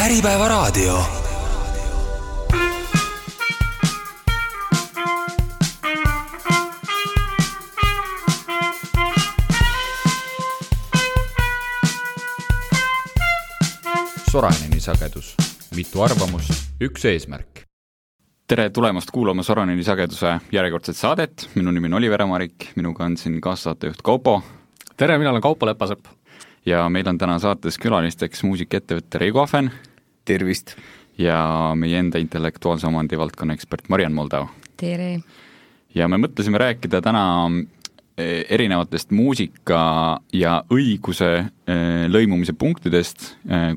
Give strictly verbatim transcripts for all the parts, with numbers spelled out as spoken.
Äripäevaraadio. Soraneni sagedus. Mitu arvamust, üks eesmärk. Tere tulemast kuulama Soraneni sageduse järjekordset saadet. Minu nimi on Oliver Amarik, minuga on siin kaassaatejuht Kaupo. Tere, mina olen Kaupo Lepasepp. Ja meil on täna saates külalisteks muusikettevõtte Reigo Ahven. Tervist. Ja meie enda intellektuaalse omandi valdkonna ekspert Mariann Moldau. Tere. Ja me mõtlesime rääkida täna erinevatest muusika ja õiguse lõimumise punktidest,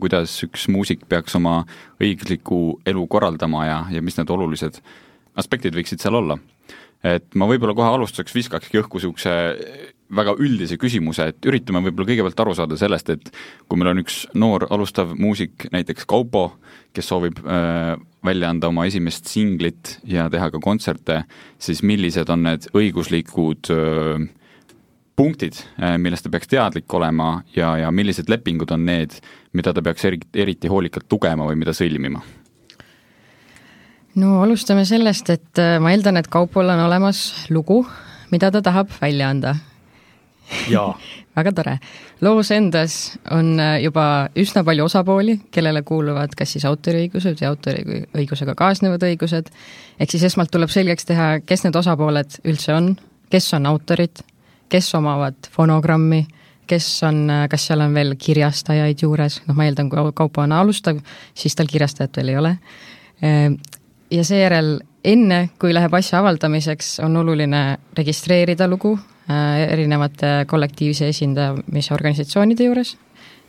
kuidas üks muusik peaks oma õigusliku elu korraldama ja, ja mis need olulised aspektid võiksid seal olla. Et ma võib-olla kohe alustuseks viskakski õhku siukse väga üldise küsimuse, et üritame võib-olla kõigepealt aru saada sellest, et kui meil on üks noor alustav muusik, näiteks Kaupo, kes soovib äh, välja anda oma esimest singlit ja teha ka kontserte, siis millised on need õiguslikud äh, punktid, äh, millest ta peaks teadlik olema ja, ja millised lepingud on need, mida ta peaks eriti, eriti hoolikalt tugema või mida sõlmima? No alustame sellest, et ma eeldan, et Kaupol on olemas lugu, mida ta tahab välja anda. Jaa. Väga tore. Loos endas on juba üsna palju osapooli, kellele kuuluvad kas siis autoriõigused ja autoriõigusega kaasnevad õigused. Ehk siis esmalt tuleb selgeks teha, kes need osapooled üldse on, kes on autorid, kes omavad fonogrammi, kes on, kas seal on veel kirjastajaid juures. No ma eeldan, kui Kaupo on alustav, siis tal kirjastajat veel ei ole. Ja seejärel enne, kui läheb asja avaldamiseks, on oluline registreerida lugu äh, erinevate kollektiivse esindamise organisatsioonide juures.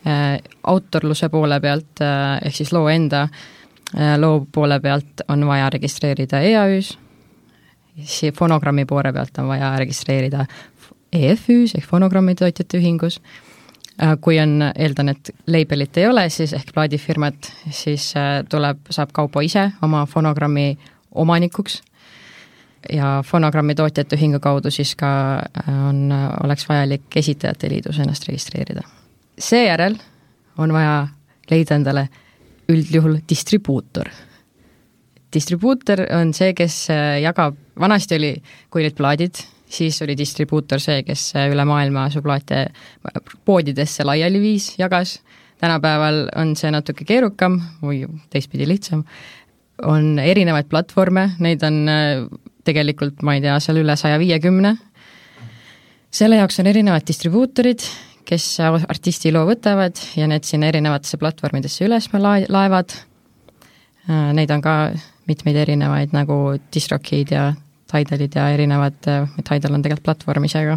Äh, autorluse poole pealt, äh, ehk siis loo enda äh, loo poole pealt on vaja registreerida E A Üs, fonogrammi poole pealt on vaja registreerida E F Üs ehk fonogrammi tootjate ühingus. Kui on, eeldan, et labelit ei ole, siis ehk plaadifirmat, siis tuleb, saab Kaupo ise oma fonogrammi omanikuks ja fonogrammi tootjate ühingu kaudu siis ka on, oleks vajalik esitajate liidus ennast registreerida. Seejärel on vaja leida endale üldjuhul distribuutor. Distribuutor on see, kes jagab, vanasti oli, kui olid plaadid, siis oli distribuutor see, kes üle maailma sublaate poodidesse laiali viis, jagas. Tänapäeval on see natuke keerukam või teistpidi lihtsam. On erinevaid platvorme, neid on tegelikult, ma ei tea, seal üle saja viiekümne. Selle jaoks on erinevad distribuutorid, kes artisti loo võtavad ja need sinna erinevatesse platvormidesse üles laevad. Neid on ka mitmeid erinevaid nagu Distrokid ja Tidalid ja erinevad, Tidal on tegelikult platvorm isega,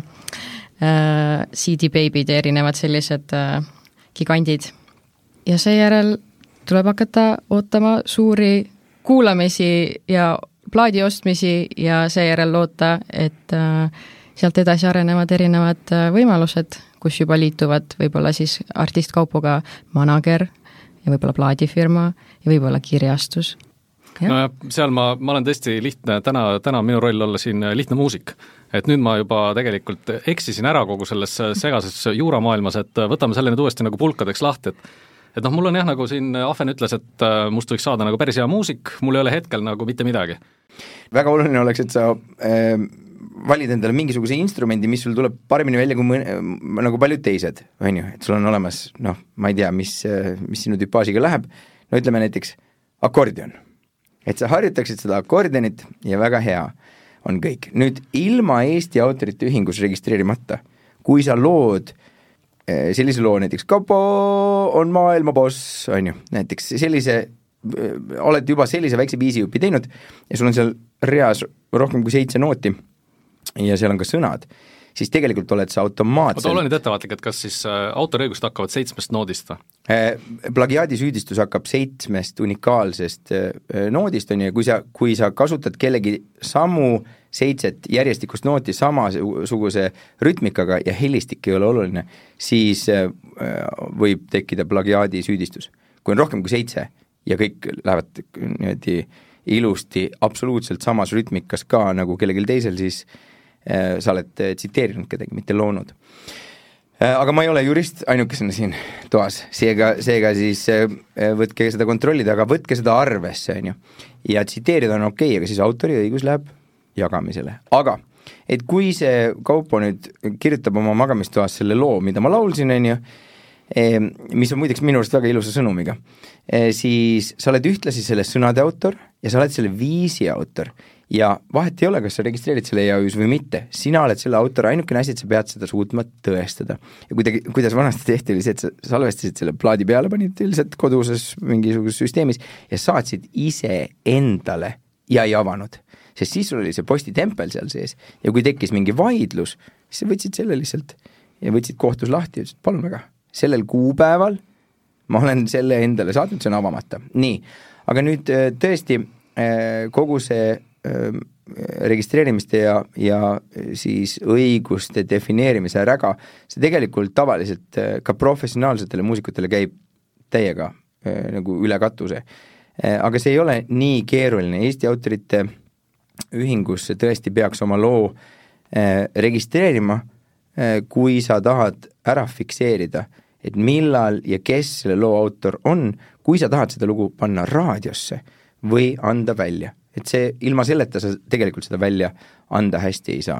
C D Baby'd ja erinevad sellised gigandid. Ja seejärel tuleb hakata ootama suuri kuulamisi ja plaadi ostmisi ja seejärel loota, et sealt edasi arenevad erinevad võimalused, kus juba liituvad võib-olla siis artist Kaupoga manager ja võib-olla plaadifirma ja võib-olla kirjastus. No ja seal ma, ma olen tõesti lihtne, täna, täna minu roll olla siin lihtne muusik. Et nüüd ma juba tegelikult eksisin ära kogu selles segases juuramaailmas, et võtame selle nüüd uuesti nagu pulkadeks lahti, et et noh, mul on jah, nagu siin Ahven ütles, et must võiks saada nagu päris hea muusik, mul ei ole hetkel nagu mitte midagi. Väga oluline oleks, et sa äh, valid endale mingisuguse instrumendi, mis sul tuleb paremini välja kui mõne, nagu paljud teised, on ju, et sul on olemas, noh, ma ei tea, mis, mis sinu tüpaažiga läheb, no ütleme näiteks akordion. Et sa harjutaksid seda akordionit ja väga hea on kõik. Nüüd ilma Eesti autorite ühingus registreerimata, kui sa lood sellise loo, näiteks Kaupo on maailma boss, on ju, näiteks sellise, oled juba sellise väikse viisijupi teinud ja sul on seal reas rohkem kui seitse nooti ja seal on ka sõnad, siis tegelikult oled sa automaatselt... Oota, ole nüüd ettevaatlik, et kas siis autoriõigust hakkavad seitsmest noodist või? Plagiaadisüüdistus hakkab seitsmest unikaalsest noodist, on ju, kui sa, kui sa kasutad kellegi samu seitset järjestikust nooti samasuguse rütmikaga ja helistik ei ole oluline, siis võib tekkida plagiaadisüüdistus. Kui on rohkem kui seitse ja kõik lähevad niimoodi ilusti absoluutselt samas rütmikas ka nagu kellelgi teisel, siis sa oled tsiteerinud kedagi, mitte loonud. aga ma ei ole jurist ainukesena siin toas, seega, seega siis võtke seda kontrollida, aga võtke seda arvesse, on ju. Ja tsiteerida on okei, aga siis autoriõigus läheb jagamisele. Aga, et kui see Kaupo nüüd kirjutab oma magamistoas selle loo, mida ma laulsin, on ju, mis on muideks minu arust väga ilusa sõnumiga, siis sa oled ühtlasi selle sõnade autor ja sa oled selle viisi autor. Ja vahet ei ole, kas sa registreerid selle E A Üs või mitte, sina oled selle autor, ainukene asi, et sa pead seda suutma tõestada. Ja kuidagi, kuidas vanasti tehti, oli see, et sa salvestasid selle plaadi peale, panid ilmselt koduses mingisuguses süsteemis ja saatsid ise endale ja ei avanud. Sest siis sul oli see postitempel seal sees ja kui tekkis mingi vaidlus, siis sa võtsid selle lihtsalt ja võtsid kohtus lahti ja ütlesid, palun väga, sellel kuupäeval ma olen selle endale saatnud, see on avamata. Nii, aga nüüd tõesti kogu see registreerimiste ja, ja siis õiguste defineerimise räga, see tegelikult tavaliselt ka professionaalsetele muusikutele käib täiega nagu üle katuse. Aga see ei ole nii keeruline. Eesti autorite ühingus tõesti peaks oma loo registreerima, kui sa tahad ära fikseerida, et millal ja kes selle loo autor on, kui sa tahad seda lugu panna raadiosse või anda välja. Et see ilma selleta sa tegelikult seda välja anda hästi ei saa.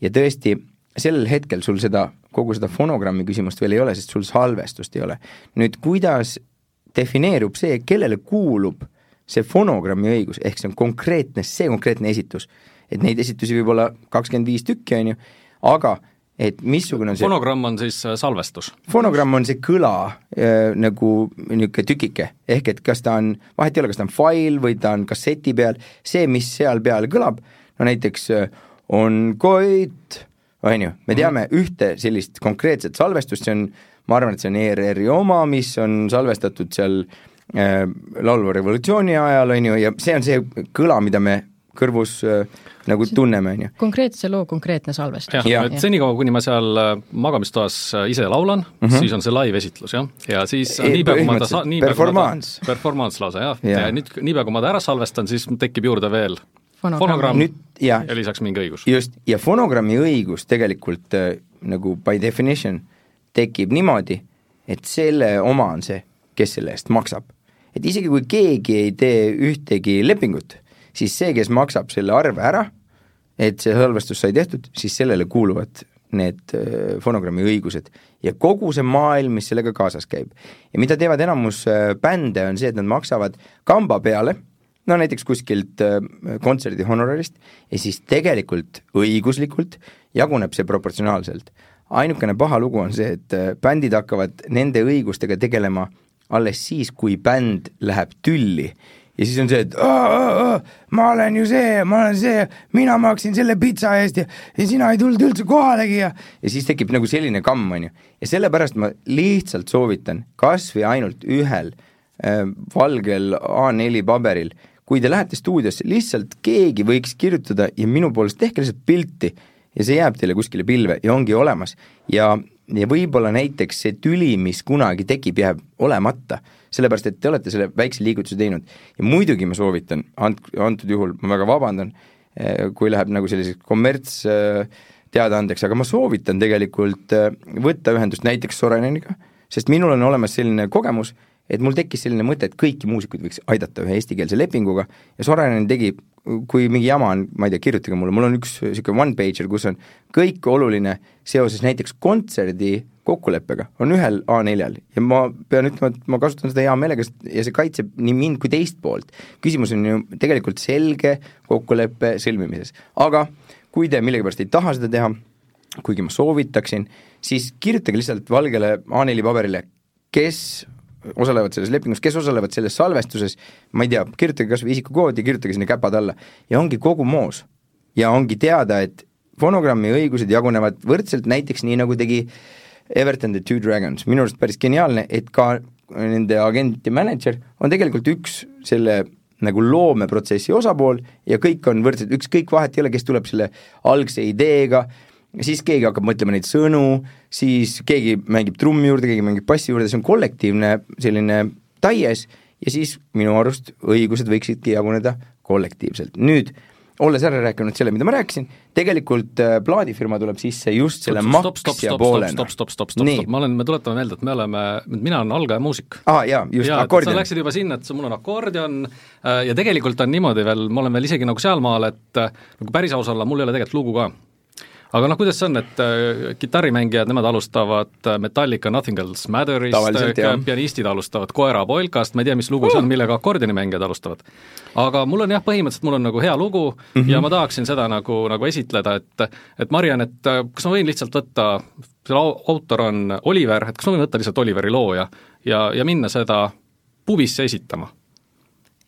Ja tõesti, sellel hetkel sul seda, kogu seda fonogrammi küsimust veel ei ole, sest sul salvestust ei ole. Nüüd, kuidas defineerub see, kellele kuulub see fonogrammi õigus, ehk see on konkreetne, see konkreetne esitus, et neid esitusi võib olla kakskümmend viis tükki, on ju, aga et missugune on see... Fonogramm on siis salvestus. Fonogramm on see kõla äh, nagu niisugune tükike, ehk et kas ta on, vahet ei ole, kas ta on fail või ta on kasseti peal, see, mis seal peal kõlab, no näiteks äh, on Koit, on ju, me teame mm-hmm. ühte sellist konkreetset salvestust, see on, ma arvan, et see on E R R-i oma, mis on salvestatud seal äh, laulva revolutsiooni ajal, on ju, ja see on see kõla, mida me kõrvus äh, nagu tunneme, on ju. Konkreetse loo konkreetne salvestus. jah, ja. et senikaua, kuni ma seal magamistoas ise laulan, mm-hmm. siis on see live-esitlus, jah. Ja siis e, niipea, kui ma ta sa-... Performance. Ta, performance lausa, jah. Ja, ja nüüd niipea, kui ma ta ära salvestan, siis tekib juurde veel fonogramm, fonogramm nüüd, ja, ja lisaks mingi õigus. Just, ja fonogrammi õigus tegelikult äh, nagu by definition tekib niimoodi, et selle oma on see, kes selle eest maksab. Et isegi kui keegi ei tee ühtegi lepingut, siis see, kes maksab selle arve ära, et see salvestus sai tehtud, siis sellele kuuluvad need fonogrammi õigused. Ja kogu see maailm, mis sellega kaasas käib. Ja mida teevad enamus bände, on see, et nad maksavad kamba peale, no näiteks kuskilt kontserdi honorarist, ja siis tegelikult õiguslikult jaguneb see proportsionaalselt. Ainukene paha lugu on see, et bändid hakkavad nende õigustega tegelema alles siis, kui bänd läheb tülli. Ja siis on see, et aa, aa, aa, ma olen ju see, ma olen see, mina maksin selle pitsa eest ja, ja sina ei tulnud üldse kohalegi ja, ja siis tekib nagu selline kamm, on ju. Ja sellepärast ma lihtsalt soovitan kas või ainult ühel äh, valgel A neli paberil, kui te lähete stuudiosse, lihtsalt keegi võiks kirjutada ja minu poolest tehke lihtsalt pilti ja see jääb teile kuskile pilve ja ongi olemas. Ja, ja võib-olla näiteks see tüli, mis kunagi tekib, jääb olemata, sellepärast, et te olete selle väikse liigutuse teinud. Ja muidugi ma soovitan, ant-, antud juhul ma väga vabandan, kui läheb nagu selliseks kommerts teadaandeks, aga ma soovitan tegelikult võtta ühendust näiteks Soraineniga, sest minul on olemas selline kogemus, et mul tekkis selline mõte, et kõiki muusikuid võiks aidata ühe eestikeelse lepinguga ja Sorainen tegi, kui mingi jama on, ma ei tea, kirjutage mulle, mul on üks siuke one-pager, kus on kõik oluline seoses näiteks kontserdi kokkuleppega, on ühel A neljal ja ma pean ütlema, et ma kasutan seda hea meelega ja see kaitseb nii mind kui teist poolt. Küsimus on ju tegelikult selge kokkuleppe sõlmimises. Aga kui te millegipärast ei taha seda teha, kuigi ma soovitaksin, siis kirjutage lihtsalt valgele A neli paberile, kes osalevad selles lepingus, kes osalevad selles salvestuses, ma ei tea, kirjutage kas või isikukoodi, kirjutage sinna käpad alla ja ongi kogu moos. Ja ongi teada, et fonogrammi õigused jagunevad võrdselt näiteks nii, nagu tegi Everton the Two Dragons. Minu arust päris geniaalne, et ka nende agent ja manager on tegelikult üks selle nagu loomeprotsessi osapool ja kõik on võrdselt, üks kõik vahet ei ole, kes tuleb selle algse ideega, siis keegi hakkab mõtlema neid sõnu, siis keegi mängib trummi juurde, keegi mängib bassi juurde, see on kollektiivne selline taies ja siis minu arust õigused võiksidki jaguneda kollektiivselt. Nüüd olles ära rääkinud selle, mida ma rääkisin, tegelikult plaadifirma tuleb sisse just selle maksja poolena. Stopp, stopp, stopp, stopp, stopp, ma olen, me tuletame meelde, et me oleme, mina olen algaja muusik. Ah, jaa, just, ja, akordion. Sa läksid juba sinna, et mul on akordion ja tegelikult on niimoodi veel, ma olen veel isegi nagu sealmaal, et nagu päris aus olla, mul ei ole tegelikult lugu ka. Aga noh, kuidas see on, et äh, kitarrimängijad, nemad alustavad Metallica Nothing Else Matterist, pianistid alustavad Koera Polkast, ma ei tea, mis lugu uh. see on, millega akordionimängijad alustavad. Aga mul on jah, põhimõtteliselt mul on nagu hea lugu mm -hmm. ja ma tahaksin seda nagu, nagu esitleda, et, et Marian, et kas ma võin lihtsalt võtta, selle autor on Oliver, et kas ma võin võtta lihtsalt Oliveri loo ja, ja, ja minna seda pubisse esitama?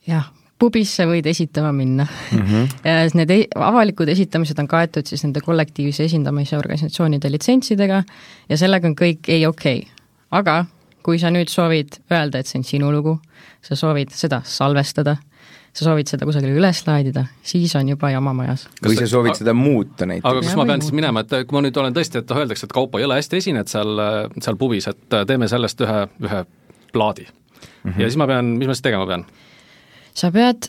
Jah. Pubisse võid esitama minna mm. -hmm. Need avalikud esitamised on kaetud siis nende kollektiivse esindamise organisatsioonide litsentsidega ja sellega on kõik ei okei okay.. Aga kui sa nüüd soovid öelda, et see on sinu lugu, sa soovid seda salvestada, sa soovid seda kusagile üles laadida, siis on juba jama majas. Või sa soovid seda muuta näiteks. Aga kas ma pean siis minema, et kui ma nüüd olen tõesti, et öeldakse, et Kaupo, jõle hästi esined seal, seal pubis, et teeme sellest ühe, ühe plaadi mm. -hmm. Ja siis ma pean, mis ma siis tegema pean? Sa pead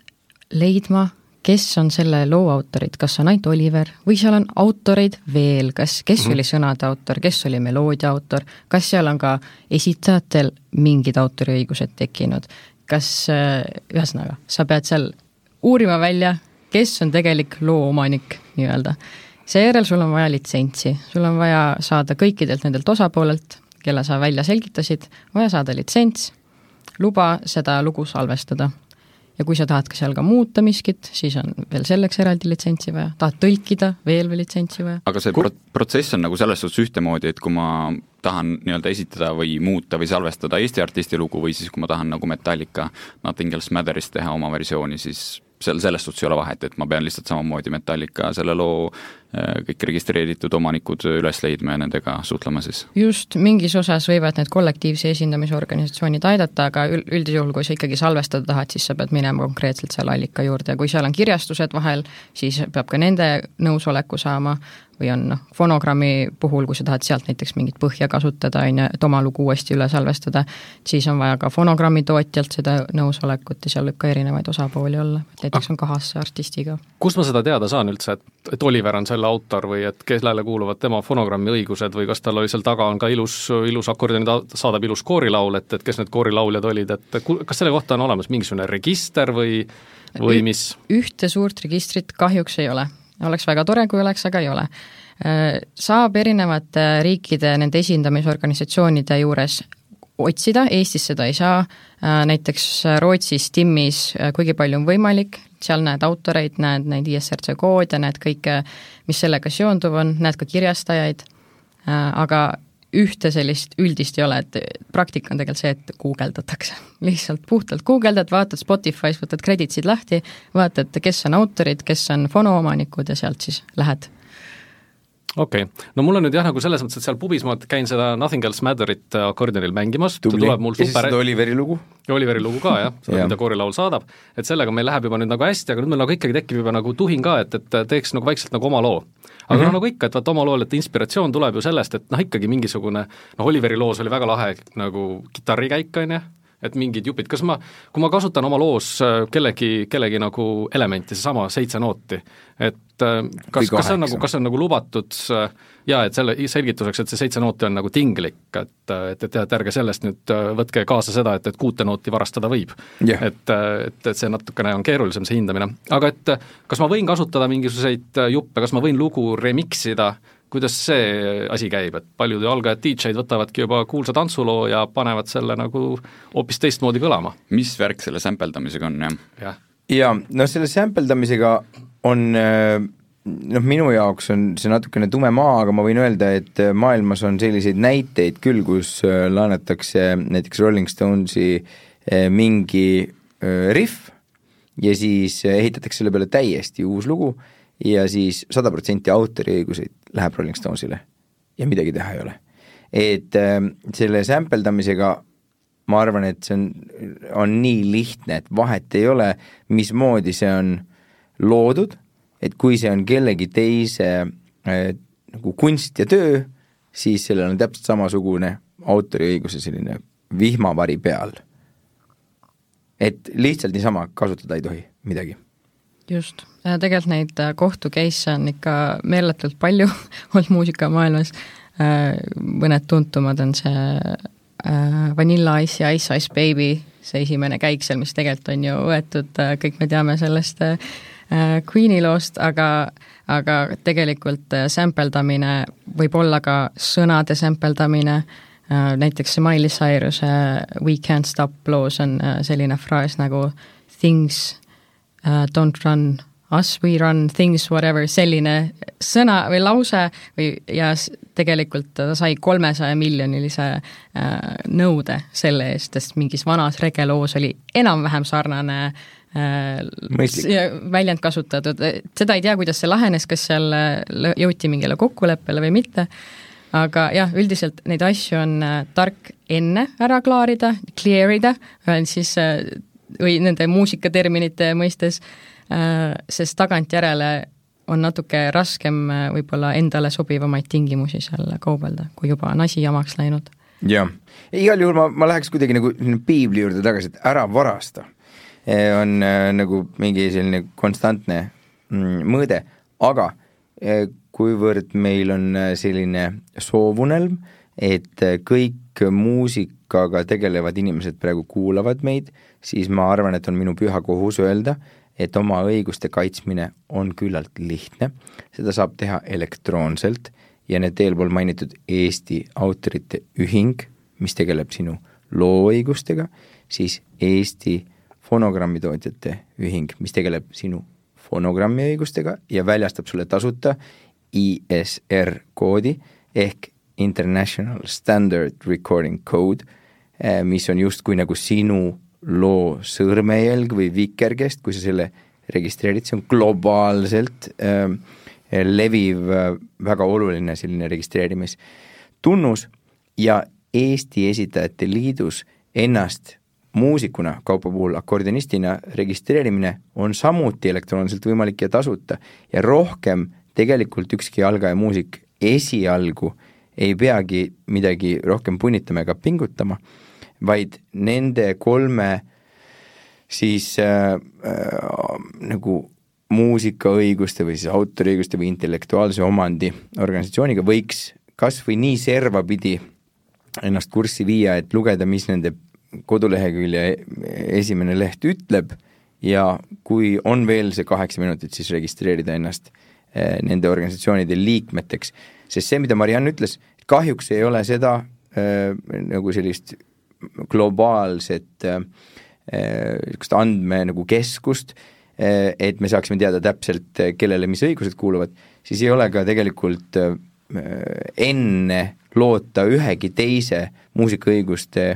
leidma, kes on selle loo autorid, kas on ainult Oliver või seal on autoreid veel, kas, kes mm-hmm. oli sõnade autor, kes oli meloodia autor, kas seal on ka esitajatel mingid autoriõigused tekkinud, kas ühesõnaga, sa pead seal uurima välja, kes on tegelik loo omanik nii-öelda. Seejärel sul on vaja litsentsi, sul on vaja saada kõikidelt nendelt osapoolelt, kelle sa välja selgitasid, vaja saada litsents, luba seda lugu salvestada. Ja kui sa tahad ka seal ka muuta miskit, siis on veel selleks eraldi litsentsi vaja. Tahad tõlkida, veel veel litsentsi vaja. Aga see pro- protsess on nagu selles suhtes ühtemoodi, et kui ma tahan nii-öelda esitada või muuta või salvestada Eesti artisti lugu või siis kui ma tahan nagu Metallica Nothing Else Matterist teha oma versiooni, siis seal selles suhtes ei ole vahet, et ma pean lihtsalt samamoodi Metallica selle loo kõik registreeritud omanikud üles leidma ja nendega suhtlema siis. Just, mingis osas võivad need kollektiivse esindamisorganisatsioonid aidata, aga üldjuhul, kui sa ikkagi salvestada tahad, siis sa pead minema konkreetselt seal allika juurde ja kui seal on kirjastused vahel, siis peab ka nende nõusoleku saama või on noh, fonogrammi puhul, kui sa tahad sealt näiteks mingit põhja kasutada, et oma lugu uuesti üle salvestada, siis on vaja ka fonogrammi tootjalt seda nõusolekut ja seal võib ka erinevaid osapooli olla, et näiteks on kahasse artistiga. Kus ma seda teada saan üldse, et, et Oliver on selle autor või et kellele kuuluvad tema fonogrammi õigused või kas tal oli seal taga on ka ilus, ilus akordioni saadab ilus koorilaul, et, et kes need koorilauljad olid, et kas selle kohta on olemas mingisugune register või, või mis? Ühte suurt registrit kahjuks ei ole. Oleks väga tore, kui oleks, aga ei ole. Saab erinevate riikide nende esindamisorganisatsioonide juures otsida, Eestis seda ei saa, näiteks Rootsis, Timmis, kuigi palju on võimalik, seal näed autoreid, näed neid I S R C koode, näed kõike, mis sellega seonduv on, näed ka kirjastajaid, aga ühte sellist üldist ei ole, et praktika on tegelikult see, et guugeldatakse. Lihtsalt puhtalt guugeldad, vaatad Spotify's, võtad kreditsid lahti, vaatad, kes on autorid, kes on fonoomanikud ja sealt siis lähed. Okei, okay. No mul on nüüd jah, nagu selles mõttes, et seal pubis ma käin seda Nothing Else Matterit akordionil mängimas. Tubli, ja siis seda Oliveri lugu? Oliveri lugu ka, jah, seda, mida koorilaul saadab, et sellega meil läheb juba nüüd nagu hästi, aga nüüd meil nagu ikkagi tekib juba nagu tuhin ka, et, et teeks nagu vaikselt nagu oma loo. Aga mm-hmm. no nagu ikka, et vaat oma lool, et inspiratsioon tuleb ju sellest, et noh, ikkagi mingisugune, noh, Oliveri loos oli väga lahe nagu kitarrikäik, on jah, et mingid jupid, kas ma, kui ma kasutan oma loos kellegi, kellegi nagu elementi, seesama seitse nooti, et kas, kas on nagu, kas on nagu lubatud ja et selle selgituseks, et see seitse nooti on nagu tinglik, et, et, et, et ärge sellest nüüd võtke kaasa seda, et, et kuute nooti varastada võib yeah.. et, et, et see natukene on keerulisem, see hindamine. Aga et kas ma võin kasutada mingisuguseid juppe, kas ma võin lugu remixida, kuidas see asi käib, et paljud algajad D J-d võtavadki juba kuulsa tantsuloo ja panevad selle nagu hoopis teistmoodi kõlama. Mis värk selle sämpeldamisega on, jah? jah, ja, no selle sämpeldamisega on, noh, minu jaoks on see natukene tume maa, aga ma võin öelda, et maailmas on selliseid näiteid küll, kus laenatakse näiteks Rolling Stonesi mingi riff ja siis ehitatakse selle peale täiesti uus lugu ja siis sada protsenti autoriõiguseid läheb Rolling Stonesile ja midagi teha ei ole. Et äh, selle sämpeldamisega ma arvan, et see on, on nii lihtne, et vahet ei ole, mismoodi see on loodud, et kui see on kellegi teise äh, nagu kunst ja töö, siis sellel on täpselt samasugune autoriõiguse selline vihmavari peal. Et lihtsalt niisama kasutada ei tohi midagi. just, tegelikult neid kohtu case on ikka meeletult palju olnud muusikamaailmas, mõned tuntumad on see Vanilla Ice ja Ice Ice Baby, see esimene käik seal, mis tegelikult on ju võetud, kõik me teame sellest Queeni loost, aga, aga tegelikult sampeldamine võib olla ka sõnade sampeldamine, näiteks see Miley Cyrus We Can't Stop loos on selline fraas nagu things uh, don't run, us we run, things whatever, selline sõna või lause või, ja tegelikult ta sai kolmesaja miljonilise äh, nõude selle eest, sest mingis vanas regeloos oli enam-vähem sarnane äh, väljend kasutatud. Seda ei tea, kuidas see lahenes, kas seal jõuti mingile kokkuleppele või mitte, aga jah, üldiselt neid asju on äh, tark enne ära klaarida, clearida, siis äh, või nende muusikaterminite mõistes, äh, sest tagantjärele on natuke raskem võib-olla endale sobivamaid tingimusi seal kaubelda, kui juba on asi jamaks läinud. Jah, igal juhul ma, ma läheks kuidagi nagu piibli juurde tagasi, et ära varasta. On äh, nagu mingi selline konstantne mm, mõõde, aga äh, kuivõrd meil on selline soovunelm, et kõik muusikaga tegelevad inimesed praegu kuulavad meid, siis ma arvan, et on minu püha kohus öelda, et oma õiguste kaitsmine on küllalt lihtne, seda saab teha elektroonselt ja need eelpool mainitud Eesti autorite ühing, mis tegeleb sinu looõigustega, siis Eesti fonogrammitootjate ühing, mis tegeleb sinu fonogrammi õigustega ja väljastab sulle tasuta I S R koodi ehk International Standard Recording Code, mis on justkui nagu sinu loo sõrmejälg või vikerkest, kui sa selle registreerid, see on globaalselt äh, leviv äh, väga oluline selline registreerimistunnus ja Eesti Esitajate Liidus ennast muusikuna, kaupa puhul akordionistina registreerimine on samuti elektroonselt võimalik ja tasuta ja rohkem tegelikult ükski algaja muusik esialgu ei peagi midagi rohkem punnitama ega pingutama, vaid nende kolme siis äh, äh, nagu muusikaõiguste või siis autoriõiguste või intellektuaalse omandi organisatsiooniga võiks kas või nii servapidi ennast kurssi viia, et lugeda, mis nende kodulehekülje esimene leht ütleb ja kui on veel see kaheksa minutit, siis registreerida ennast äh, nende organisatsioonide liikmeteks. Sest see, mida Marianne ütles, kahjuks ei ole seda äh, nagu sellist globaalset äh, andme nagu keskust, äh, et me saaksime teada täpselt, kellele mis õigused kuuluvad, siis ei ole ka tegelikult äh, enne loota ühegi teise muusikaõiguste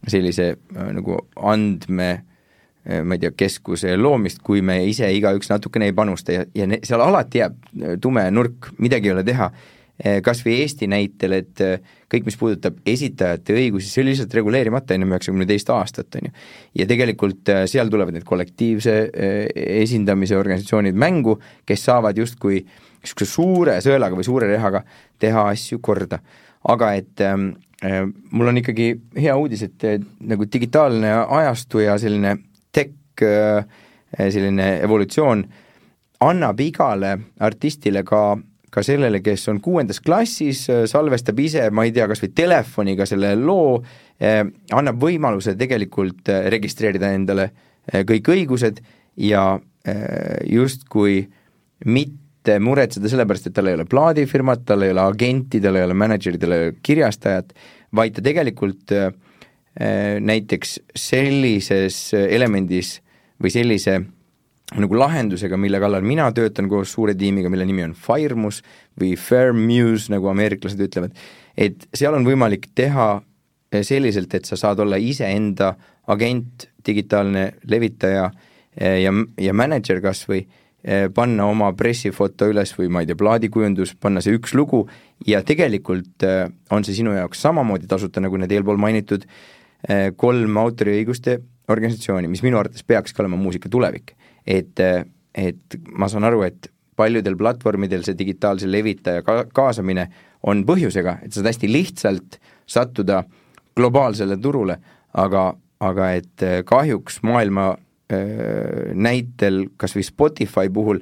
sellise äh, nagu andme äh, ma ei tea, keskuse loomist, kui me ise igaüks natukene ei panusta ja, ja ne, seal alati jääb tume nurk, midagi ei ole teha, kas või Eesti näitel, et kõik, mis puudutab esitajate õigusi, see oli lihtsalt reguleerimata enne üheksakümne teist aastat, on ju. Ja tegelikult seal tulevad need kollektiivse esindamise organisatsioonid mängu, kes saavad justkui suure sõelaga või suure rehaga teha asju korda. Aga et äh, mul on ikkagi hea uudis, et äh, nagu digitaalne ajastu ja selline tech äh, selline evolutsioon annab igale artistile ka ka sellele, kes on kuuendas klassis, salvestab ise, ma ei tea, kas või telefoniga selle loo, eh, annab võimaluse tegelikult registreerida endale kõik õigused ja eh, justkui mitte muretseda sellepärast, et tal ei ole plaadifirmat, tal ei ole agenti, tal ei ole managerit, tal ei ole kirjastajat, vaid ta tegelikult eh, näiteks sellises elemendis või sellise nagu lahendusega, mille kallal mina töötan koos suure tiimiga, mille nimi on Firemus või Fairmuse, nagu ameeriklased ütlevad, et seal on võimalik teha selliselt, et sa saad olla ise enda agent, digitaalne levitaja ja, ja manager kas või panna oma pressifoto üles või ma ei tea, plaadikujundus, panna see üks lugu ja tegelikult on see sinu jaoks samamoodi tasuta, nagu need eelpool mainitud kolm autoriõiguste organisatsiooni, mis minu arvates peakski olema muusika tulevik. Et, et ma saan aru, et paljudel platvormidel see digitaalse levitaja ka- kaasamine on põhjusega, et saad hästi lihtsalt sattuda globaalsele turule, aga, aga et kahjuks maailma näitel kas või Spotify puhul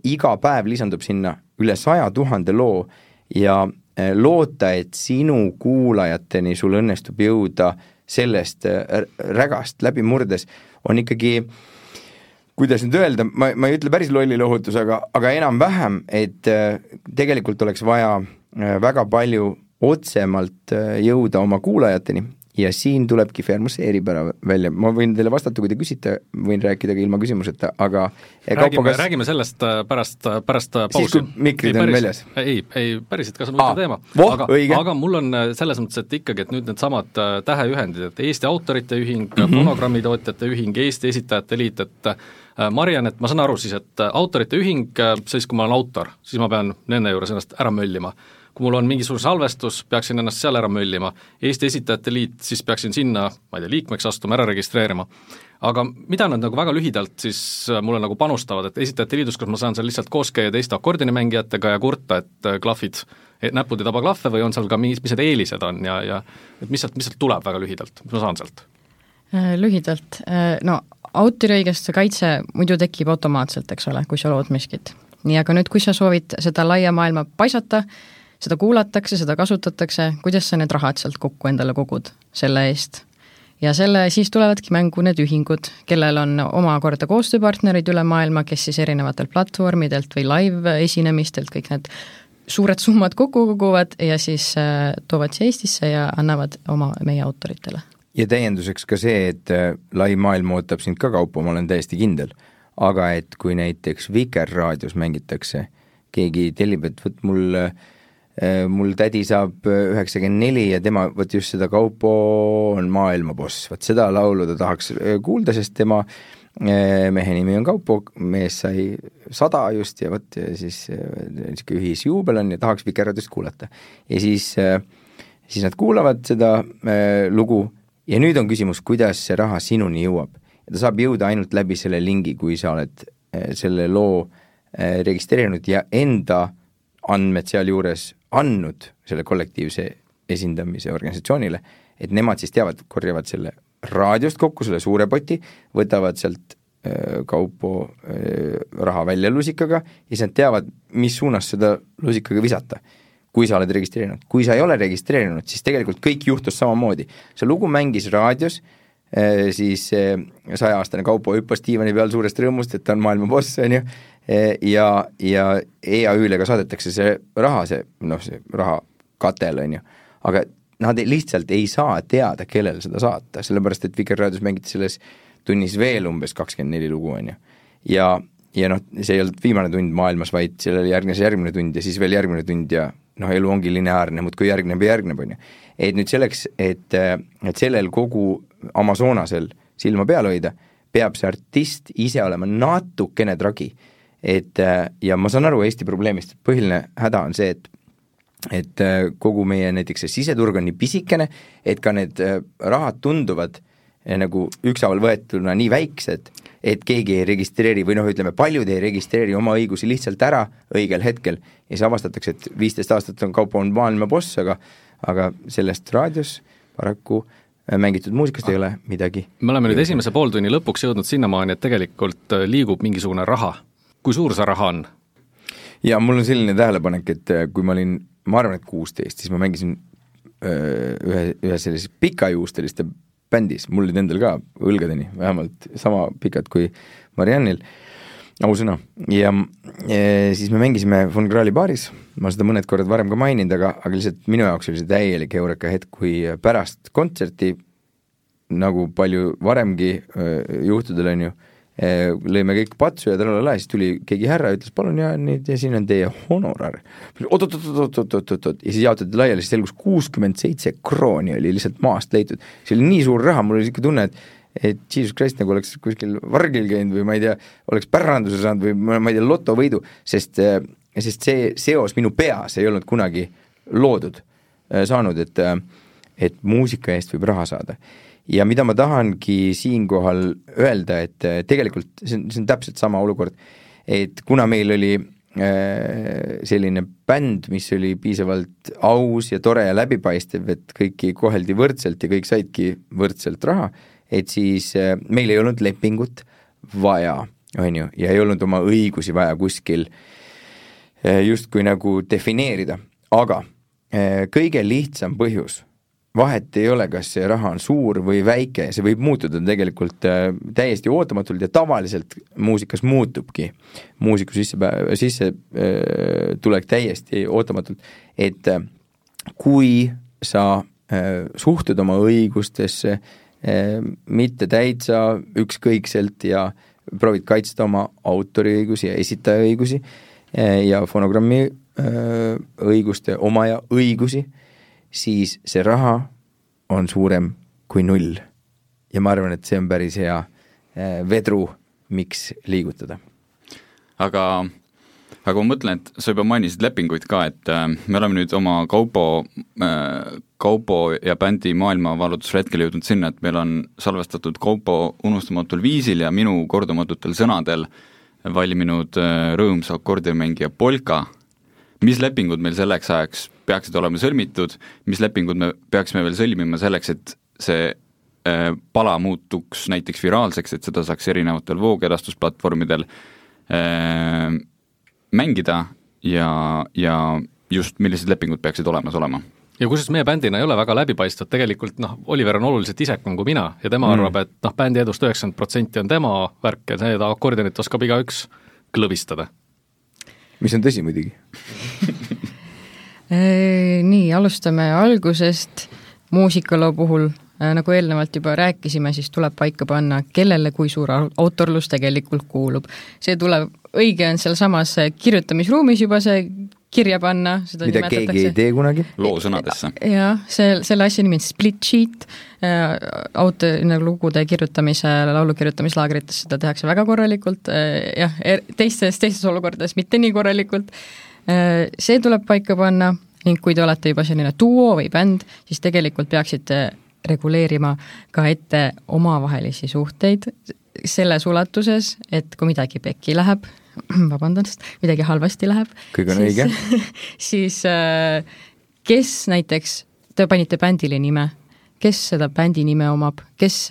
iga päev lisandub sinna üle saja tuhande loo ja loota, et sinu kuulajateni sul õnnestub jõuda sellest rägast läbi murdes, on ikkagi, kuidas nüüd öelda, ma, ma ei ütle päris lollilohutus, aga, aga enam-vähem, et tegelikult oleks vaja väga palju otsemalt jõuda oma kuulajateni ja siin tulebki Fermuse eripära välja. Ma võin teile vastata, kui te küsite, võin rääkida ka ilma küsimuseta, aga räägime, kas... räägime sellest pärast, pärast pausi. Siis, kui mikrid ei, on väljas? Ei, ei, päriselt, kas on võtta teema. Voh, aga, aga mul on selles mõttes, et ikkagi, et nüüd need samad täheühendid, et Eesti Autorite Ühing, mm -hmm. Fonogrammitootjate Ühing, Eesti Esitajate Liit, et Mariann, et ma saan aru siis, et Autorite Ühing, siis kui ma olen autor, siis ma pean nende juures ennast ära möllima. Kui mul on mingisugune salvestus, peaksin ennast seal ära möllima. Eesti Esitajate Liit, siis peaksin sinna, ma ei tea, liikmeks astuma, ära registreerima. Aga mida nad nagu väga lühidalt siis mulle nagu panustavad, et Esitajate Liidus, kus ma saan seal lihtsalt koos käia teiste akordinimängijatega ja kurta, et klahvid, näpud ei taba klahve või on seal ka mis, mis need eelised on ja, ja et mis sealt, mis sealt tuleb väga lühidalt, mis ma saan sealt? Lühidalt, no autoriõiguste kaitse muidu tekib automaatselt, eks ole, kui sa lood miskit. Nii, aga nüüd, kui sa soovid seda laia maailma paisata, seda kuulatakse, seda kasutatakse, kuidas sa need rahad sealt kokku endale kogud selle eest. Ja selle siis tulevadki mängu need ühingud, kellel on omakorda koostööpartnerid üle maailma, kes siis erinevatelt platvormidelt või live esinemistelt kõik need suured summad kokku koguvad ja siis äh, toovad siia Eestisse ja annavad oma meie autoritele. Ja täienduseks ka see, et lai maailm ootab sind ka kaupa, ma olen täiesti kindel, aga et kui näiteks Vikerraadios mängitakse, keegi tellib, et võt mul mul tädi saab üheksakümmend neli ja tema võt just seda Kaupo on maailmaboss, võt seda laulu ta tahaks kuulda, sest tema mehe nimi on Kaupo, mees sai sada just ja võt siis niisugune ühisjuubel on ja tahaks Vikerraadiost kuulata. Ja siis, siis nad kuulavad seda lugu ja nüüd on küsimus, kuidas see raha sinuni jõuab. Ja ta saab jõuda ainult läbi selle lingi, kui sa oled selle loo registreerinud ja enda andmed seal juures andnud selle kollektiivse esindamise organisatsioonile, et nemad siis teavad, korjavad selle raadiost kokku, selle suure poti, võtavad sealt äh, Kaupo äh, raha välja lusikaga ja siis nad teavad, mis suunas seda lusikaga visata, kui sa oled registreerinud. Kui sa ei ole registreerinud, siis tegelikult kõik juhtus samamoodi. See lugu mängis raadios, äh, siis äh, saja-aastane Kaupo hüppas diivani peal suurest rõõmust, et ta on maailma boss, on ju, ja, ja E A Ü-le ka saadetakse see raha, see, noh, see raha katel, on ju, aga nad lihtsalt ei saa teada, kellel seda saata, sellepärast, et Vikerraadios mängiti selles tunnis veel umbes kakskümmend neli lugu, on ju, ja, ja noh, see ei olnud viimane tund maailmas, vaid sellele järgnes järgmine tund ja siis veel järgmine tund ja noh, elu ongi lineaarne, muudkui järgneb ja järgneb, on ju. Et nüüd selleks, et, et sellel kogu Amazonasel silma peal hoida, peab see artist ise olema natukene tragi. Et, ja ma saan aru Eesti probleemist, et põhiline häda on see, et, et kogu meie näiteks see siseturg on nii pisikene, et ka need rahad tunduvad nagu ükshaaval võetuna nii väiksed, et keegi ei registreeri või noh, ütleme, paljud ei registreeri oma õigusi lihtsalt ära õigel hetkel ja siis avastatakse, et viisteist aastat on Kaupo on maailma boss, aga, aga sellest raadios paraku mängitud muusikast ei ole midagi. Me oleme nüüd esimese pooltunni lõpuks jõudnud sinnamaani, et tegelikult liigub mingisugune raha. Kui suur see raha on? Ja mul on selline tähelepanek, et kui ma olin, ma arvan, et kuusteist, siis ma mängisin ühe, ühe sellises pikajuusteliste bändis, mul olid endal ka õlgadeni, vähemalt sama pikad kui Mariannil, ausõna, ja, ja siis me mängisime Von Krahli baaris, ma seda mõned korrad varem ka maininud, aga, aga lihtsalt minu jaoks oli see täielik eureka hetk, kui pärast kontserti, nagu palju varemgi juhtudel on ju, lõime kõik patsu ja tralala, siis tuli keegi härra ja ütles, palun ja nüüd ja siin on teie honorar. Oot, oot, oot, oot, oot, oot, oot, ja siis jaotati laiali, siis selgus kuuskümmend seitse krooni oli lihtsalt maast leitud. See oli nii suur raha, mul oli siuke tunne, et, et Jesus Christ nagu oleks kuskil vargil käinud või ma ei tea, oleks päranduse saanud või ma ei tea, lotovõidu, sest, sest see seos minu peas ei olnud kunagi loodud saanud, et, et muusika eest võib raha saada. Ja mida ma tahangi siinkohal öelda, et tegelikult see on, see on täpselt sama olukord, et kuna meil oli selline bänd, mis oli piisavalt aus ja tore ja läbipaistev, et kõiki koheldi võrdselt ja kõik saidki võrdselt raha, et siis meil ei olnud lepingut vaja, on ju, ja ei olnud oma õigusi vaja kuskil justkui nagu defineerida, aga kõige lihtsam põhjus, vahet ei ole, kas see raha on suur või väike, see võib muutuda tegelikult täiesti ootamatult ja tavaliselt muusikas muutubki muusiku sisse, sisse tulek täiesti ootamatult, et kui sa suhtud oma õigustesse mitte täitsa ükskõikselt ja proovid kaitsta oma autoriõigusi ja esitajaõigusi ja fonogrammi õiguste omaja õigusi, siis see raha on suurem kui null. Ja ma arvan, et see on päris hea vedru, miks liigutada. Aga, aga ma mõtlen, et sa juba mainisid lepinguid ka, et me oleme nüüd oma kaupo, kaupo ja bändi maailmavalutusretkel jõudnud sinna, et meil on salvestatud kaupo unustamatul viisil ja minu kordumatutel sõnadel valminud rõõmsa akordimängija Polka. Mis lepingud meil selleks ajaks peaksid olema sõlmitud, mis lepingud me peaksime veel sõlmima selleks, et see pala muutuks näiteks viraalseks, et seda saaks erinevatel voogedastusplatvormidel mängida ja, ja just millised lepingud peaksid olemas olema. Ja kusjuures meie bändina ei ole väga läbipaistvad, tegelikult noh, Oliver on oluliselt isekam kui mina ja tema mm. arvab, et noh, bändi edust üheksakümmend protsenti on tema värk ja see akordionit oskab igaüks klõbistada. Mis on tõsi muidugi? Nii, alustame algusest. Muusikaloo puhul, nagu eelnevalt juba rääkisime, siis tuleb paika panna, kellele kui suur autorlus tegelikult kuulub. See tuleb, õige on seal samas kirjutamisruumis juba see kirja panna. Seda mida keegi ei tee kunagi? Loo sõnadesse. Jah, see, selle asja nimi on split sheet. Auto, lugude kirjutamise, laulu kirjutamislaagrites seda tehakse väga korralikult. Jah, teistes, teistes olukordades mitte nii korralikult. See tuleb paika panna ning kui te olete juba selline duo või bänd, siis tegelikult peaksite reguleerima ka ette omavahelisi suhteid selles ulatuses, et kui midagi pekki läheb, vabandust, midagi halvasti läheb, kõik on siis, õige. siis kes näiteks, te panite bändile nime, kes seda bändi nime omab, kes,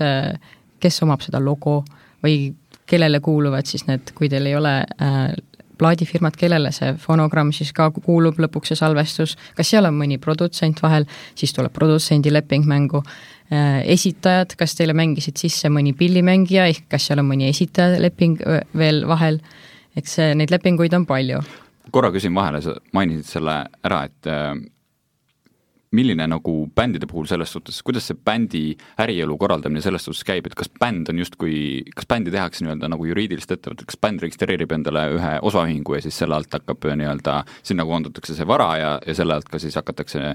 kes omab seda logo või kellele kuuluvad siis need, kui teil ei ole plaadifirmad, kellele see fonogramm siis ka kuulub lõpuks see salvestus, kas seal on mõni produtsent vahel, siis tuleb produtsendi leping mängu. Esitajad, kas teile mängisid sisse mõni pillimängija, ehk kas seal on mõni esitaja leping veel vahel, eks neid lepinguid on palju. Korra küsin vahele, sa mainisid selle ära, et milline nagu bändide puhul selles suhtes, kuidas see bändi ärielu korraldamine selles suhtes käib, et kas bänd on justkui, kas bändi tehakse nii-öelda nagu juriidilist ettevõtet, kas bänd registreerib endale ühe osaühingu ja siis selle alt hakkab nii-öelda, sinna koondatakse see vara ja, ja selle alt ka siis hakatakse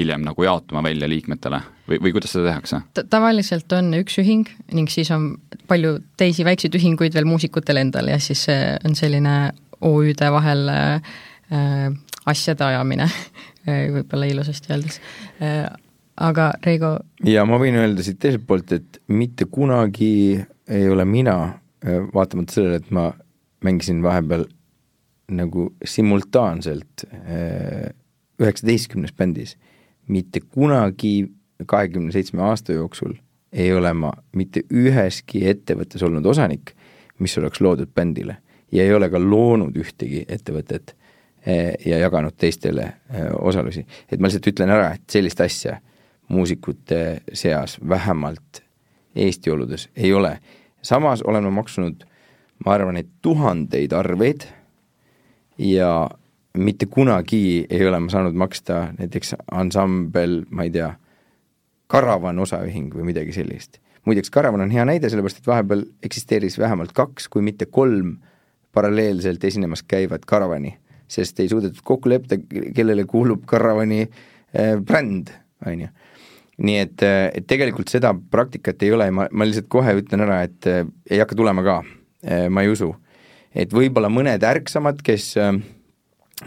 hiljem nagu jaotuma välja liikmetele või, või kuidas seda tehakse? Tavaliselt on üks ühing ning siis on palju teisi väikseid ühinguid veel muusikutel endal ja siis on selline O Ü-de vahel äh, asjade ajamine võib-olla ilusasti öeldes. Aga Reigo... Ja ma võin öelda siit teiselt poolt, et mitte kunagi ei ole mina, vaatamata sellele, et ma mängisin vahepeal nagu simultaanselt üheksateistkümnes bändis, mitte kunagi kahekümne seitsme aasta jooksul ei ole ma mitte üheski ettevõttes olnud osanik, mis oleks loodud bändile ja ei ole ka loonud ühtegi ettevõtet ja jaganud teistele osalusi. Et ma lihtsalt ütlen ära, et sellist asja muusikute seas vähemalt Eesti oludes ei ole. Samas olen ma maksunud, ma arvan, et tuhandeid arveid ja mitte kunagi ei ole ma saanud maksta näiteks ansambel, ma ei tea, Karavan osaühing või midagi sellist. Muideks Karavan on hea näide, sellepärast et vahepeal eksisteeris vähemalt kaks, kui mitte kolm paralleelselt esinemas käivad Karavani, sest ei suudetud kokku lepta, kellele kuulub Karavani äh, bränd, on ju. Nii et, et tegelikult seda praktikat ei ole, ma, ma lihtsalt kohe ütlen ära, et äh, ei hakka tulema ka, äh, ma ei usu. Et võib-olla mõned ärksamad, kes, äh,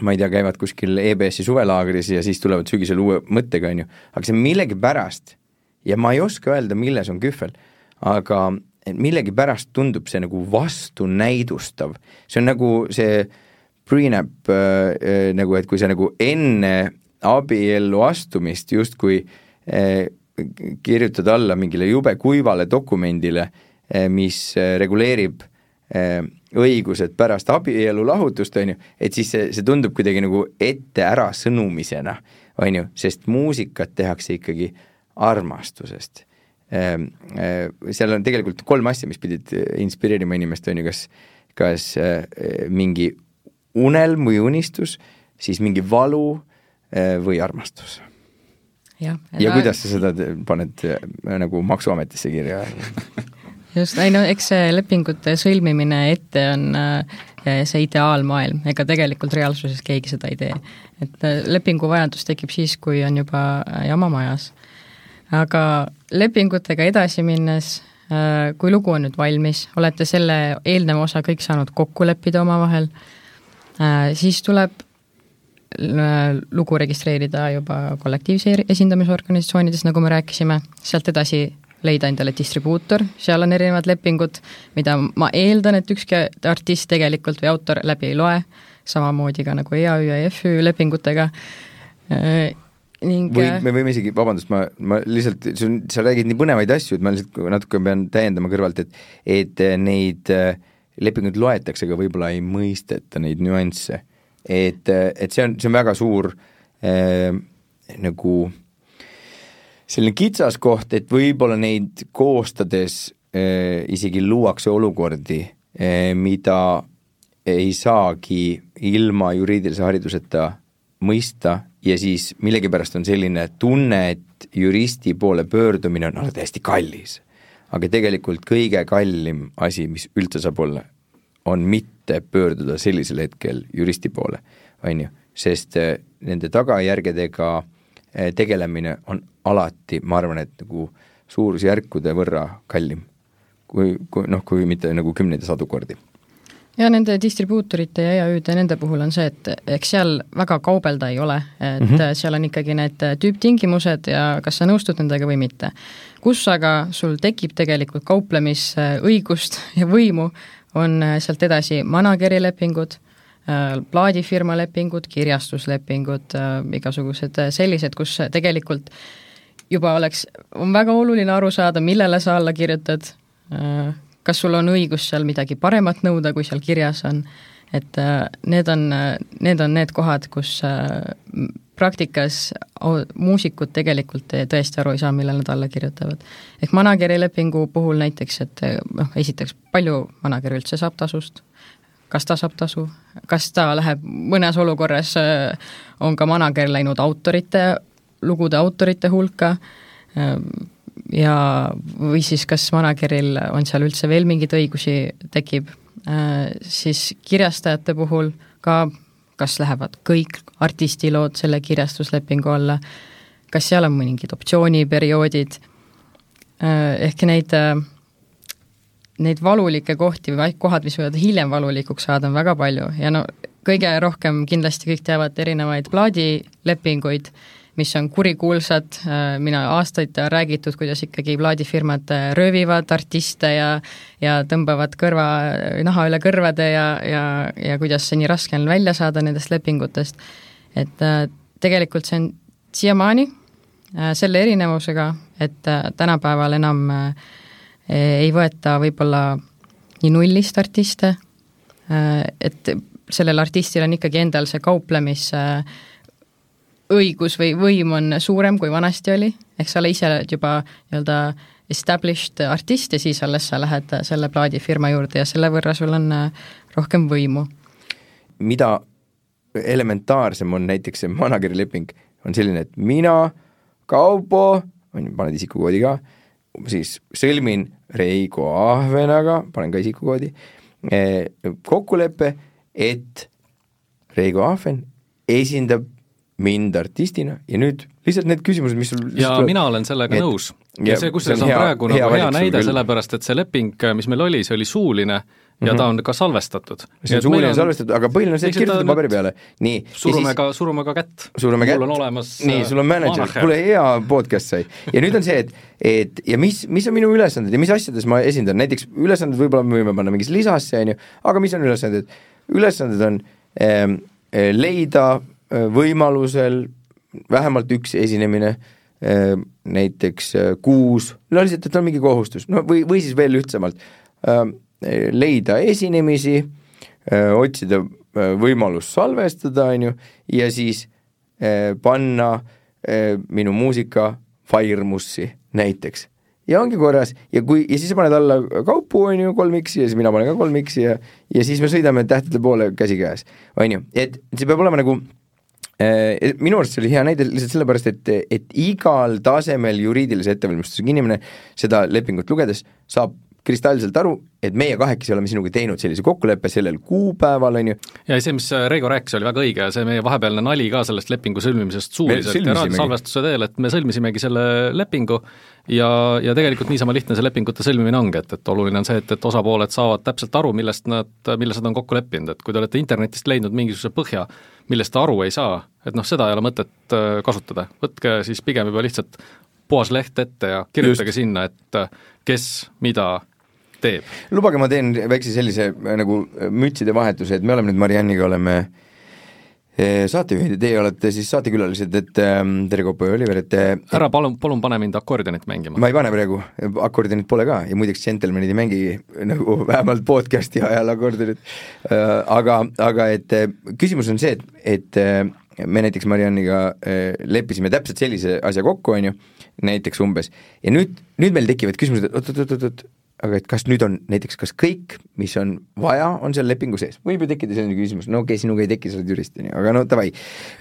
ma ei tea, käivad kuskil E B S-i suvelaagris ja siis tulevad sügisel uue mõttega, on ju. Aga see millegi pärast, ja ma ei oska öelda, milles on kühvel, aga millegi pärast tundub see nagu vastu näidustav. See on nagu see prenup äh, nagu, et kui sa nagu enne abiellu astumist justkui äh, kirjutad alla mingile jube kuivale dokumendile mis reguleerib õigused pärast abielu lahutust, on ju, et siis see, see tundub kuidagi nagu ette ära sõnumisena, on ju, sest muusikat tehakse ikkagi armastusest. Seal on tegelikult kolm asja, mis pidid inspireerima inimest, on ju, kas, kas mingi unelm või unistus, siis mingi valu või armastus. Ja, ja kuidas sa seda paned nagu Maksuametisse kirja? Just, ei no eks see lepingute sõlmimine ette on see ideaalmaailm, ega tegelikult reaalsuses keegi seda ei tee. Et lepingu vajadus tekib siis, kui on juba jama majas. Aga lepingutega edasi minnes, kui lugu on nüüd valmis, olete selle eelneva osa kõik saanud kokku leppida oma vahel, siis tuleb lugu registreerida juba kollektiivse esindamisorganisatsioonides, nagu me rääkisime, sealt edasi leida endale distribuutor, seal on erinevad lepingud, mida ma eeldan, et ükski artist tegelikult või autor läbi ei loe, samamoodi ka nagu E A Ü ja F Ü lepingutega. Ning... Või me võime isegi, vabandust, ma, ma lihtsalt, sa räägid nii põnevaid asju, et ma lihtsalt natuke pean täiendama kõrvalt, et, et neid lepinguid loetakse, aga võib-olla ei mõisteta neid nüansse. Et, et see on, see on väga suur äh, nagu selline kitsas koht, et võib-olla neid koostades äh, isegi luuakse olukordi, äh, mida ei saagi ilma juriidilise hariduseta mõista ja siis millegipärast on selline tunne, et juristi poole pöördumine on alati hästi kallis. Aga tegelikult kõige kallim asi, mis üldse saab olla, on mitte pöörduda sellisel hetkel juristi poole, on ju, sest äh, nende tagajärgedega tegelemine on alati, ma arvan, et nagu suurusjärkude võrra kallim, kui, kui, noh, kui mitte nagu kümneid ja sadu kordi. Ja nende distribuutorite ja E A Ü-de nende puhul on see, et eks seal väga kaubelda ei ole, et mm -hmm. seal on ikkagi need tüüptingimused ja kas sa nõustud nendega või mitte. Kus aga sul tekib tegelikult kauplemisõigust ja võimu, on sealt edasi manageri lepingud, plaadifirma lepingud, kirjastuslepingud, igasugused sellised, kus tegelikult juba oleks, on väga oluline aru saada, millele sa alla kirjutad, kas sul on õigus seal midagi paremat nõuda, kui seal kirjas on, et need on need, on need kohad, kus praktikas muusikud tegelikult tõesti aru ei saa, millele nad alla kirjutavad. Ehk manageri lepingu puhul näiteks, et noh, esiteks palju manager üldse saab tasust, kas ta saab tasu, kas ta läheb, mõnes olukorras on ka manager läinud autorite, lugude autorite hulka ja või siis kas manageril on seal üldse veel mingeid õigusi tekib, siis kirjastajate puhul ka, kas lähevad kõik artistilood selle kirjastuslepingu alla, kas seal on mõningid optsiooniperioodid, ehk neid neid valulikke kohti või kohad, mis võivad hiljem valulikuks saada, on väga palju ja no kõige rohkem kindlasti kõik teavad erinevaid plaadilepinguid, mis on kurikuulsad, mina aastaid räägitud, kuidas ikkagi plaadifirmad röövivad artiste ja, ja tõmbavad kõrva, naha üle kõrvade ja, ja, ja kuidas see nii raske on välja saada nendest lepingutest. Et tegelikult see on siiamaani selle erinevusega, et tänapäeval enam ei võeta võib-olla nii nullist artiste, et sellel artistil on ikkagi endal see kauplemis õigus või võim on suurem, kui vanasti oli, ehk sa ole ise juba nii-öelda established artist ja siis alles sa lähed selle plaadifirma juurde ja selle võrra sul on rohkem võimu. Mida elementaarsem on näiteks see manageri leping, on selline, et mina, Kaupo, paned isikukoodi ka, siis sõlmin Reigo Ahvenaga, panen ka isikukoodi, kokkuleppe, et Reigo Ahven esindab mind artistina ja nüüd lihtsalt need küsimused, mis sul ja tuleb, mina olen sellega et, nõus. Ja, ja see, kus see on, on hea, praegu hea, nagu hea näide, sellepärast, et see leping, mis meil oli, see oli suuline ja mm-hmm. ta on ka salvestatud. See on suuline on salvestatud, aga põhiline on see, et kirjutada paberi peale. Nii, surume, siis, ka, surume ka kätt. Surume kätt. Mul on olemas nii, sul on manager, kuule hea podcast sai. Ja nüüd on see, et, et ja mis, mis on minu ülesanded ja mis asjades ma esindan. Näiteks ülesanded võib-olla me võime panna mingis lisasse, aga mis on ülesanded? Ülesanded on ähm, leida võimalusel vähemalt üks esinemine näiteks kuus, no lihtsalt, et on mingi kohustus, no või, või siis veel ühtsamalt, leida esinemisi, otsida võimalus salvestada, on ju, ja siis panna minu muusika Firemussi näiteks. Ja ongi korras, ja, kui, ja siis sa paned alla kaupu, on ju, kolm X-i, ja siis mina panen ka kolm X-i ja, ja siis me sõidame tähtede poole käsi käes, on ju, et see peab olema nagu eh, minu arust see oli hea näide lihtsalt sellepärast, et, et igal tasemel juriidilise ettevalmistusega inimene seda lepingut lugedes saab kristallselt aru, et meie kahekesi oleme sinuga teinud sellise kokkuleppe sellel kuupäeval, on ju. Ja see, mis Reigo rääkis, oli väga õige ja see meie vahepealne nali ka sellest lepingu sõlmimisest suuliselt ja raadiosalvestuse teel, et me sõlmisimegi selle lepingu ja, ja tegelikult niisama lihtne see lepingute sõlmimine ongi, et, et oluline on see, et, et osapooled saavad täpselt aru, millest nad, milles nad on kokku leppinud, et kui te olete internetist leidnud mingisuguse põhja, millest ta aru ei saa, et noh, seda ei ole mõtet kasutada. Võtke siis pigem juba lihtsalt puhas leht ette ja kirjutage Just. sinna, et kes mida teeb. Lubage, ma teen väikse sellise nagu mütside vahetuse, et me oleme nüüd Marianniga oleme saatejuhid ja teie olete siis saatekülalised, et tere Kopo ja Oliver, et ära palun, palun pane mind akordionit mängima. Ma ei pane praegu, akordionit pole ka ja muideks džentelmenid ei mängi nagu vähemalt podcasti ajal akordionit, aga, aga et küsimus on see, et, et me näiteks Marianniga leppisime täpselt sellise asja kokku, on ju, näiteks umbes, ja nüüd, nüüd meil tekivad küsimused, et oot, oot, oot, oot, aga et kas nüüd on näiteks, kas kõik, mis on vaja, on seal lepingu sees? Võib ju tekkida selline küsimus, no okei okay,, sinuga ei teki, sa oled jurist, aga no tavai.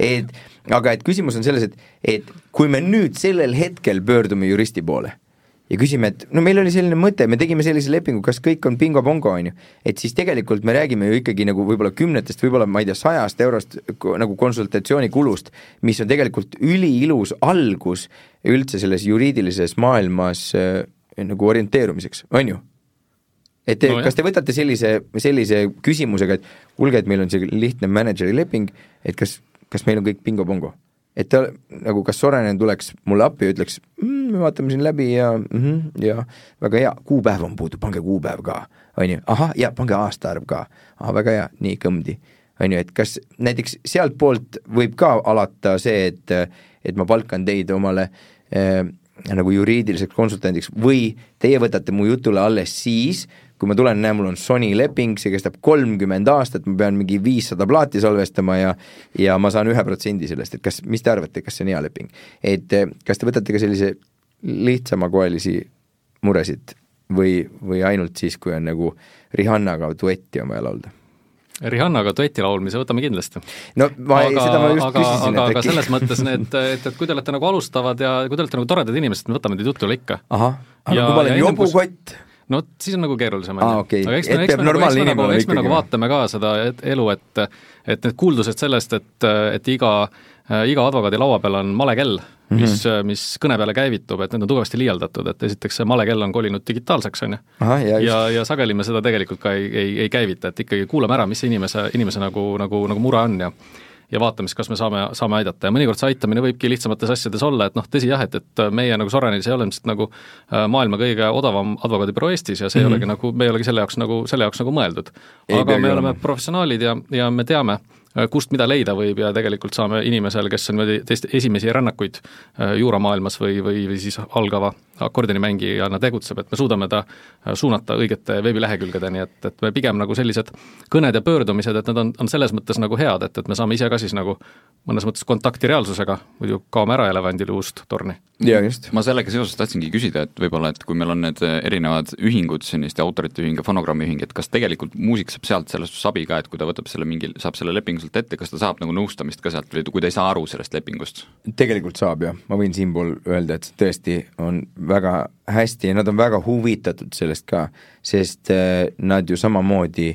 Et, aga et küsimus on selles, et, et kui me nüüd sellel hetkel pöördume juristi poole ja küsime, et no meil oli selline mõte, me tegime sellise lepingu, kas kõik on bingo-bongo, on ju, et siis tegelikult me räägime ju ikkagi nagu võib-olla kümnetest, võib-olla ma ei tea, sajast eurost nagu konsultatsioonikulust, mis on tegelikult üliilus algus üldse selles juriidilises maailmas nagu orienteerumiseks, on ju? Et te, no, kas te võtate sellise, sellise küsimusega, et kuulge, et meil on see lihtne manageri leping, et kas, kas meil on kõik bingo-bongo? Et ta, nagu kas Sorainen tuleks mulle appi ja ütleks, mm, me vaatame siin läbi ja, mm, ja väga hea, kuupäev on puudu, pange kuupäev ka, on ju, aha, ja pange aastaarv ka, aha, väga hea, nii kõmdi, on ju, et kas näiteks sealt poolt võib ka alata see, et, et ma palkan teid omale äh, nagu juriidiliseks konsultandiks või teie võtate mu jutule alles siis, kui ma tulen, näe, mul on Sony leping, see kestab kolmkümmend aastat, ma pean mingi viissada plaati salvestama ja, ja ma saan ühe protsendi sellest, et kas, mis te arvate, kas see on hea leping? Et kas te võtate ka sellise lihtsama koelisi muresid või, või ainult siis, kui on nagu Rihannaga duetti on vaja laulda? Rihannaga duetti laulmise võtame kindlasti. No ma aga, seda ma just aga, küsisin. Aga, aga selles mõttes need, et, et kui te olete nagu alustavad ja kui te olete nagu toredad inimesed, me võtame teid jutule ikka. Aha, aga ja, kui ma olen jobukott? No siis on nagu keerulisem. Ah, okay. Aga eks me, eks me, nagu, eks me, nagu, eks me nagu vaatame ka seda elu, et, et need kuuldused sellest, et, et iga, iga advokaadi laua peal on malekell, mis, mm-hmm. mis kõne peale käivitub, et need on tugevasti liialdatud, et esiteks see malekell on kolinud digitaalseks, on ju. Ja, ja, ja sageli me seda tegelikult ka ei, ei, ei käivita, et ikkagi kuulame ära, mis see inimese, inimese nagu, nagu, nagu mure on ja ja vaatame siis, kas me saame, saame aidata ja mõnikord see aitamine võibki lihtsamates asjades olla, et noh, tõsi jah, et, et meie nagu Soranenis ei ole ilmselt nagu maailma kõige odavam advokaadibüroo Eestis ja see mm-hmm. ei olegi nagu, me ei olegi selle jaoks nagu, selle jaoks nagu mõeldud. Aga me oleme professionaalid ja, ja me teame, kust mida leida võib ja tegelikult saame inimesel, kes on teist esimesi rännakuid juuramaailmas või, või, või siis algava akordionimängijana tegutseb, et me suudame ta suunata õigete veebilehekülgedeni, et, et me pigem nagu sellised kõned ja pöördumised, et need on, on selles mõttes nagu head, et, et me saame ise ka siis nagu mõnes mõttes kontakti reaalsusega, muidu kaome ära elevandile uust torni. Ja just. Ma sellega seoses tahtsingi küsida, et võib-olla, et kui meil on need erinevad ühingud, selliste autorite ühing ja fonogrammi ühing, et kas tegelikult muusik saab sealt sellest sabi ka, et kui ta võtab selle mingi, saab selle lepingu sealt ette, kas ta saab nagu nõustamist ka sealt või kui ta ei saa aru sellest lepingust? Tegelikult saab jah, ma võin siinpool öelda, et tõesti on väga hästi ja nad on väga huvitatud sellest ka, sest nad ju samamoodi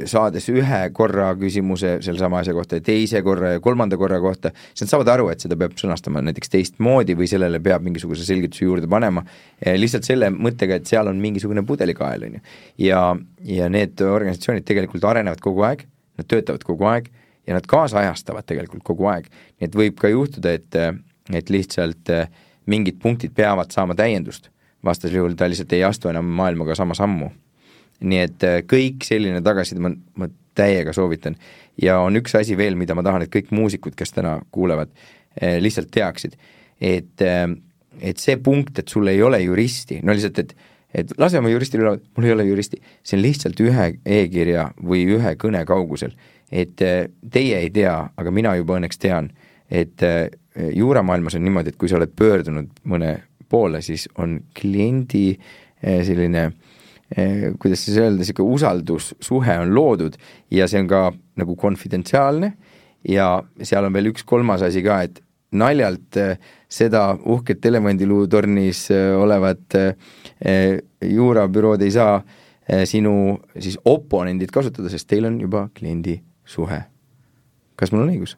saades ühe korra küsimuse selle sama asja kohta ja teise korra ja kolmanda korra kohta, siis nad saavad aru, et seda peab sõnastama näiteks teistmoodi või sellele peab mingisuguse selgituse juurde panema, lihtsalt selle mõttega, et seal on mingisugune pudelikael, on ju. Ja, ja need organisatsioonid tegelikult arenevad kogu aeg, nad töötavad kogu aeg ja nad kaasajastavad tegelikult kogu aeg. Nii et võib ka juhtuda, et, et lihtsalt mingid punktid peavad saama täiendust, vastasel juhul ta lihtsalt ei astu enam maailmaga sama sammu. Nii et kõik selline tagasiside ma, ma täiega soovitan ja on üks asi veel, mida ma tahan, et kõik muusikud, kes täna kuulevad, lihtsalt teaksid, et, et see punkt, et sul ei ole juristi, no lihtsalt, et et lase oma juristil üle, mul ei ole juristi, see on lihtsalt ühe e-kirja või ühe kõne kaugusel, et teie ei tea, aga mina juba õnneks tean, et juuramaailmas on niimoodi, et kui sa oled pöördunud mõne poole, siis on kliendi selline, kuidas siis öelda, selline usaldussuhe on loodud ja see on ka nagu konfidentsiaalne ja seal on veel üks kolmas asi ka, et naljalt seda uhket elevandiluutornis olevat juurabürood ei saa sinu siis oponendid kasutada, sest teil on juba kliendi suhe. Kas mul on õigus?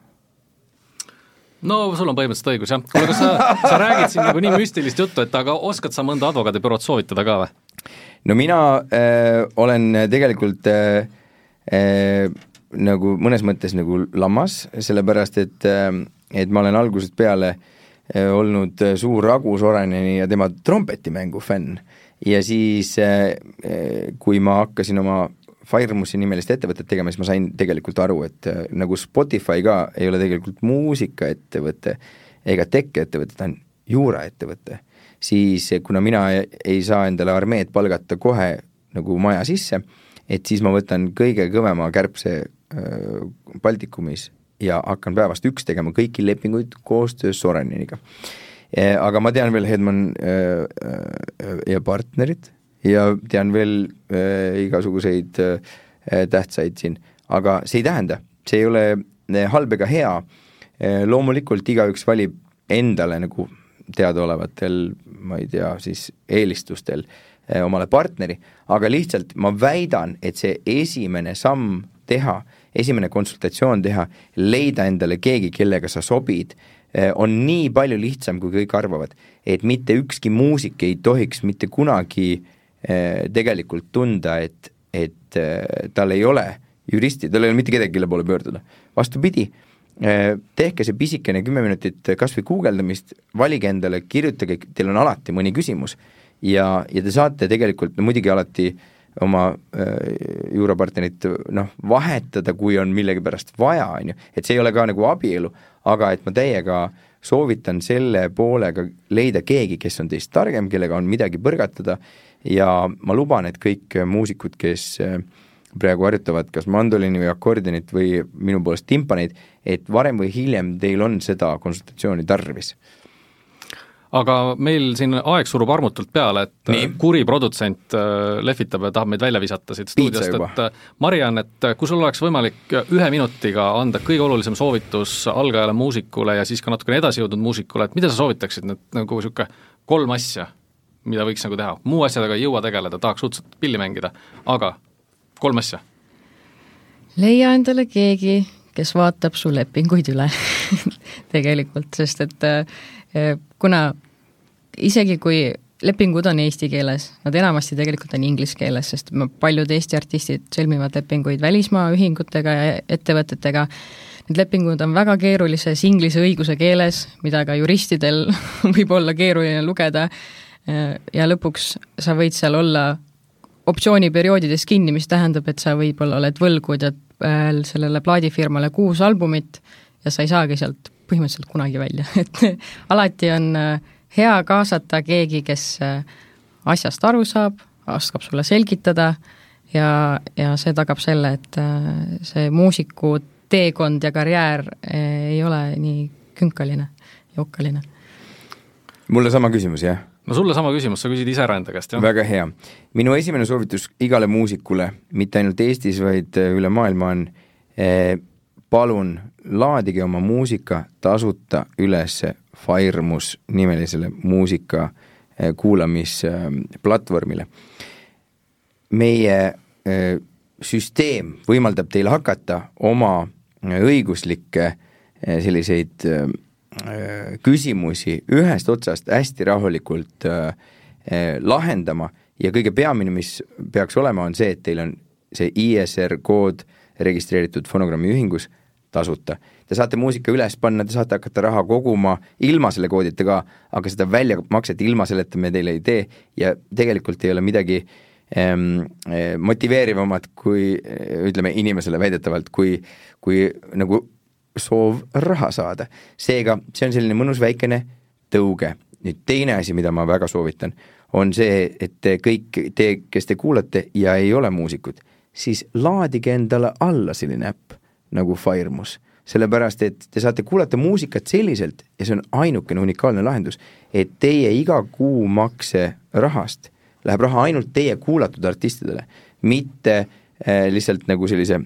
No sul on põhimõtteliselt õigus, jah. Kuule, kas sa, sa räägid siin nagu nii müstilist juttu, et aga oskad sa mõnda advokaadibürood soovitada ka või? No mina äh, olen tegelikult äh, äh, nagu mõnes mõttes nagu lammas, sellepärast et äh, et ma olen algusest peale olnud suur Ragu Soreneni ja tema trompetimängu fänn ja siis kui ma hakkasin oma Firemusi nimelist ettevõtet tegema, siis ma sain tegelikult aru, et nagu Spotify ka ei ole tegelikult muusikaettevõte ega tech-ettevõte, ta on juuraettevõte, siis kuna mina ei saa endale armeed palgata kohe nagu maja sisse, et siis ma võtan kõige kõvema kärbse Baltikumis ja hakkan päevast üks tegema kõiki lepinguid koostöös Soreniniga. Aga ma tean veel Hedman ja partnerid ja tean veel igasuguseid tähtsaid siin, aga see ei tähenda, see ei ole halb ega hea. Loomulikult igaüks valib endale nagu teadaolevatel, ma ei tea, siis eelistustel omale partneri, aga lihtsalt ma väidan, et see esimene samm teha, esimene konsultatsioon teha, leida endale keegi, kellega sa sobid, on nii palju lihtsam, kui kõik arvavad, et mitte ükski muusik ei tohiks mitte kunagi tegelikult tunda, et, et tal ei ole juristi, tal ei ole mitte kedagi, kelle poole pöörduda. Vastupidi, tehke see pisikene kümme minutit kas või guugeldamist, valige endale, kirjutage, teil on alati mõni küsimus ja, ja te saate tegelikult, no muidugi alati oma äh, juurapartnerit noh, vahetada, kui on millegi pärast vaja, on ju, et see ei ole ka nagu abielu, aga et ma täiega soovitan selle poolega leida keegi, kes on teist targem, kellega on midagi põrgatada ja ma luban, et kõik muusikud, kes praegu harjutavad kas mandolini või akordionit või minu poolest timpaneid, et varem või hiljem teil on seda konsultatsiooni tarvis. Aga meil siin aeg surub armutult peale, et Nii. kuri produtsent lehvitab ja tahab meid välja visata siit stuudiost, et Mariann, et kui sul oleks võimalik ühe minutiga anda kõige olulisem soovitus algajale muusikule ja siis ka natukene edasi jõudnud muusikule, et mida sa soovitaksid, need nagu siuke kolm asja, mida võiks nagu teha? Muu asjadega ei jõua tegeleda, tahaks uudselt pilli mängida, aga kolm asja. Leia endale keegi, kes vaatab su lepinguid üle tegelikult, sest et kuna isegi kui lepingud on eesti keeles, nad enamasti tegelikult on inglise keeles, sest paljud Eesti artistid sõlmivad lepinguid välismaa ühingutega ja ettevõtetega. Need lepingud on väga keerulises inglise õiguse keeles, mida ka juristidel võib olla keeruline lugeda ja lõpuks sa võid seal olla optsiooniperioodides kinni, mis tähendab, et sa võib-olla oled võlgud ja sellele plaadifirmale kuus albumit ja sa ei saagi sealt põhimõtteliselt kunagi välja, et alati on hea kaasata keegi, kes asjast aru saab, oskab sulle selgitada ja, ja see tagab selle, et see muusiku teekond ja karjäär ei ole nii künkaline ja okkaline. Mulle sama küsimus, jah? No sulle sama küsimus, sa küsid ise ära enda käest, jah? Väga hea. Minu esimene soovitus igale muusikule, mitte ainult Eestis, vaid üle maailma on eh, palun laadige oma muusika tasuta üles Firemus nimelisele muusika kuulamisplatvormile. Meie süsteem võimaldab teil hakata oma õiguslikke selliseid küsimusi ühest otsast hästi rahulikult lahendama ja kõige peamine, mis peaks olema, on see, et teil on see I S R kood registreeritud fonogrammi ühingus tasuta. Te saate muusika üles panna, te saate hakata raha koguma ilma selle koodita ka, aga seda väljamakset ilma selleta me teile ei tee ja tegelikult ei ole midagi ähm, motiveerivamat kui ütleme inimesele väidetavalt, kui, kui nagu soov raha saada. Seega see on selline mõnus väikene tõuge. Nüüd teine asi, mida ma väga soovitan, on see, et te kõik te, kes te kuulate ja ei ole muusikud, siis laadige endale alla selline äpp nagu Firemus. Sellepärast, et te saate kuulata muusikat selliselt ja see on ainukene unikaalne lahendus, et teie iga kuu makse rahast läheb raha ainult teie kuulatud artistidele, mitte äh, lihtsalt nagu sellise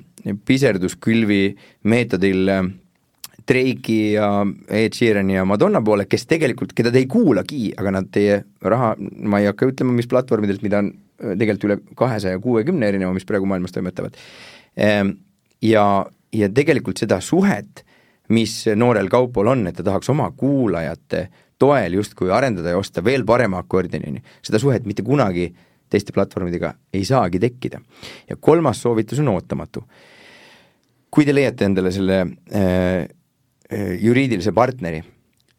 piserduskülvi meetodil äh, Drake'i ja Ed Sheerani ja Madonna poole, kes tegelikult, keda te ei kuulagi, aga nad teie raha, ma ei hakka ütlema, mis platvormidelt, mida on tegelikult üle kahesaja kuuekümne erineva, mis praegu maailmas toimetavad. Ja, ja tegelikult seda suhet, mis noorel Kaupol on, et ta tahaks oma kuulajate toel justkui arendada ja osta veel parema akordionini, seda suhet mitte kunagi teiste platvormidega ei saagi tekkida. Ja kolmas soovitus on ootamatu. Kui te leiate endale selle äh, juriidilise partneri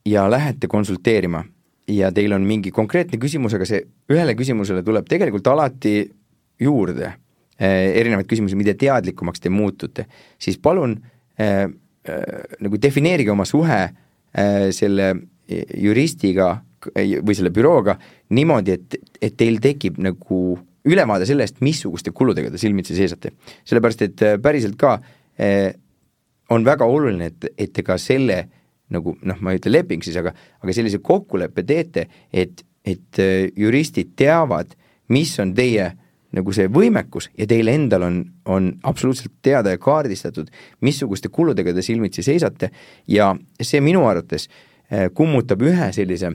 ja lähete konsulteerima ja teil on mingi konkreetne küsimus, aga see ühele küsimusele tuleb tegelikult alati juurde eh, erinevaid küsimusi, mida teadlikumaks te muutute, siis palun eh, eh, nagu defineerige oma suhe eh, selle juristiga või selle bürooga niimoodi, et, et teil tekib nagu ülevaade sellest, missuguste kuludega te silmitsi seisate. Sellepärast, et päriselt ka eh, on väga oluline, et, et te ka selle, nagu noh, ma ei ütle leping siis, aga, aga sellise kokkuleppe teete, et, et juristid teavad, mis on teie nagu see võimekus ja teil endal on, on absoluutselt teada ja kaardistatud, missuguste kuludega te silmitsi seisate ja see minu arvates kummutab ühe sellise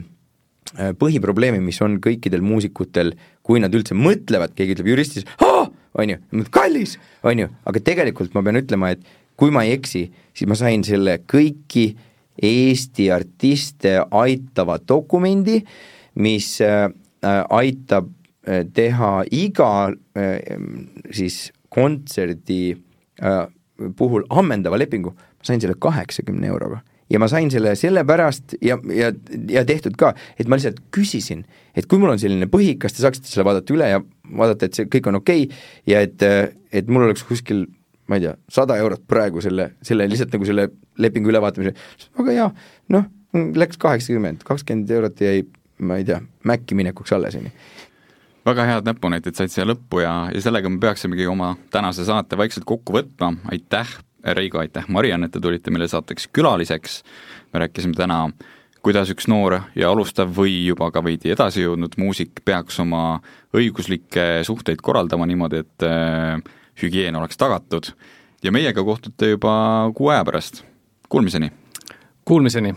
põhiprobleemi, mis on kõikidel muusikutel, kui nad üldse mõtlevad, keegi ütleb juristis, on ju, kallis, on ju, aga tegelikult ma pean ütlema, et kui ma ei eksi, siis ma sain selle kõiki Eesti artiste aitava dokumendi, mis äh, aitab äh, teha iga äh, siis kontserdi äh, puhul ammendava lepingu, ma sain selle kaheksakümne euroga. Ja ma sain selle sellepärast ja, ja, ja tehtud ka, et ma lihtsalt küsisin, et kui mul on selline põhi, kas te saaksite selle vaadata üle ja vaadata, et see kõik on okei okay, ja et, et mul oleks kuskil ma ei tea, sada eurot praegu selle, selle lihtsalt nagu selle lepingu ülevaatamise, aga jaa, noh, läks kaheksakümmend, kakskümmend eurot jäi, ma ei tea, Mäkki minekuks alles. Väga head näpunäited said siia lõppu ja, ja sellega me peaksimegi oma tänase saate vaikselt kokku võtma. Aitäh, Reigo, aitäh, Mariann, et te tulite meile saateks külaliseks. Me rääkisime täna, kuidas üks noor ja alustav või juba ka veidi edasi jõudnud muusik peaks oma õiguslikke suhteid korraldama niimoodi, et hügieen oleks tagatud ja meiega kohtute juba kuu aja pärast. Kuulmiseni! Kuulmiseni!